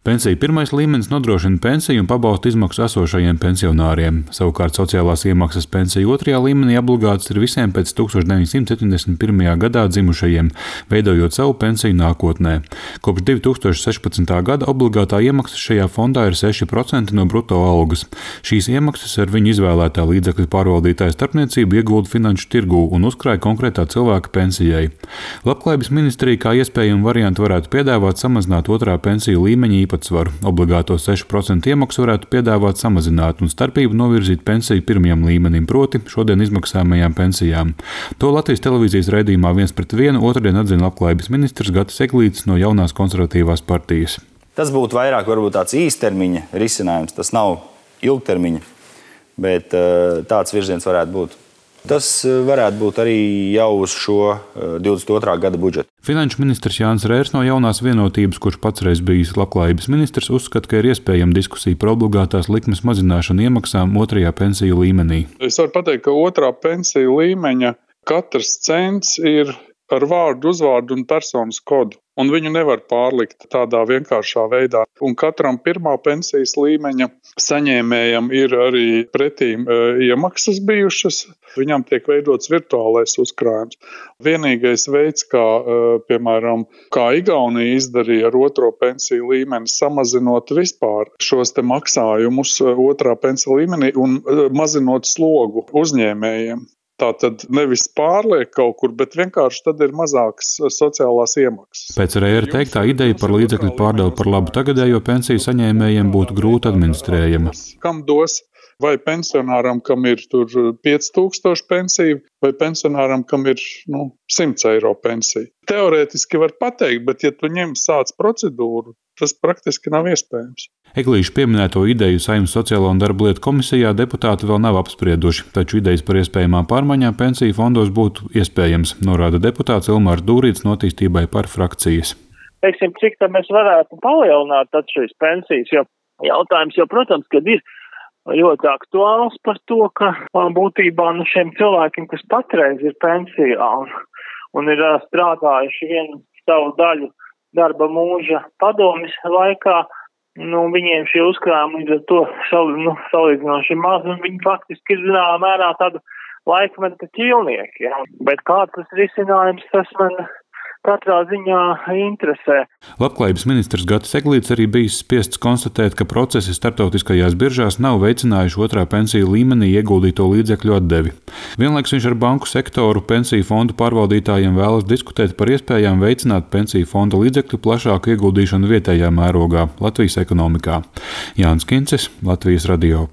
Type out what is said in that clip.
Pensiju pirmais līmenis nodrošina pensiju un pabalstu izmaksu esošajiem pensionāriem. Savukārt sociālās iemaksas pensiju otrajā līmenī obligātas ir visiem pēc 1971. gadā dzimušajiem, veidojot savu pensiju nākotnē. Kopš 2016. gada obligātā iemaksa šajā fondā ir 6% no bruto algas. Šīs iemaksas ar viņu izvēlētā līdzekļu pārvaldītāja starpniecību iegulda finanšu tirgū un uzkrāja konkrētā cilvēka pensijai. Labklājības ministrija kā iespējamu variantu varētu piedāvāt samazināt otrā pensiju līmeņa īpatsvaru. Obligāto 6% iemaksu varētu piedāvāt samazināt un starpību novirzīt pensiju pirmajam līmenim, proti šodien izmaksājamajām pensijām. To Latvijas televīzijas raidījumā 1:1 otrdien atzina Labklājības ministrs Gatis Eglītis no Jaunās konservatīvās partijas. Tas būtu vairāk varbūt tāds īstermiņa risinājums, tas nav ilgtermiņa, bet tāds virziens varētu būt. Tas varētu būt arī jau uz šo 22. gada budžetu. Finanšu ministrs Jānis Rērs no Jaunās vienotības, kurš patsreiz bijis Labklājības ministrs, uzskata, ka ir iespējama diskusija par obligātās likmes mazināšanu iemaksām otrajā pensiju līmenī. Es varu pateikt, ka otrā pensiju līmeņa katrs cents ir ar vārdu, uzvārdu un personas kodu, un viņu nevar pārlikt tādā vienkāršā veidā. Un katram pirmā pensijas līmeņa saņēmējam ir arī pretīm iemaksas bijušas, viņam tiek veidots virtuālais uzkrājums. Vienīgais veids, kā, piemēram, kā Igaunija izdarīja ar otro pensiju līmeni, samazinot vispār šos te maksājumus otrā pensiju līmenī un mazinot slogu uzņēmējiem. Tātad nevis pārliek kaut kur, bet vienkārši tad ir mazākas sociālās iemaksas. Pēc Rēra teiktā ideja par līdzekļu pārdalu par labu tagadējo pensiju saņēmējiem būtu grūti administrējama. Kam dos? Vai pensionāram, kam ir 5000 pensiju, vai pensionāram, kam ir 100 eiro pensija. Teorētiski var pateikt, bet ja tu ņem sāc procedūru, tas praktiski nav iespējams. Eglīša pieminēto ideju Saeimas Sociālo un darba lietu komisijā deputāti vēl nav apsprieduši, taču idejas par iespējamām pārmaiņām pensiju fondos būtu iespējams, norāda deputāts Ilmārs Dūrīts no Attīstībai par frakcijas. Teiksim, cik tad mēs varētu palielināt šīs pensijas, jo jautājums jau, protams, kad ir ļoti aktuāls par to, ka būtībā šiem cilvēkiem, kas patreiz ir pensijā un ir strādājuši vienu savu daļu darba mūža padomjas laikā, viņiem šie uzkrājumi ir to salīdzinoši maz, un viņi faktiski ir zināmā mērā tādu laikmeta ķīlnieki. Ja? Bet kāds tas risinājums, tas man katrā ziņā interesē. Labklājības ministrs Gatis Eglītis arī bijis spiests konstatēt, ka procesi starptautiskajās biržās nav veicinājuši otrā pensiju līmenī ieguldīto līdzekļu atdevi. Vienlaiks viņš ar banku sektoru pensiju fondu pārvaldītājiem vēlas diskutēt par iespējām veicināt pensiju fonda līdzekļu plašāku ieguldīšanu vietējā mērogā Latvijas ekonomikā. Jānis Kincis, Latvijas radio.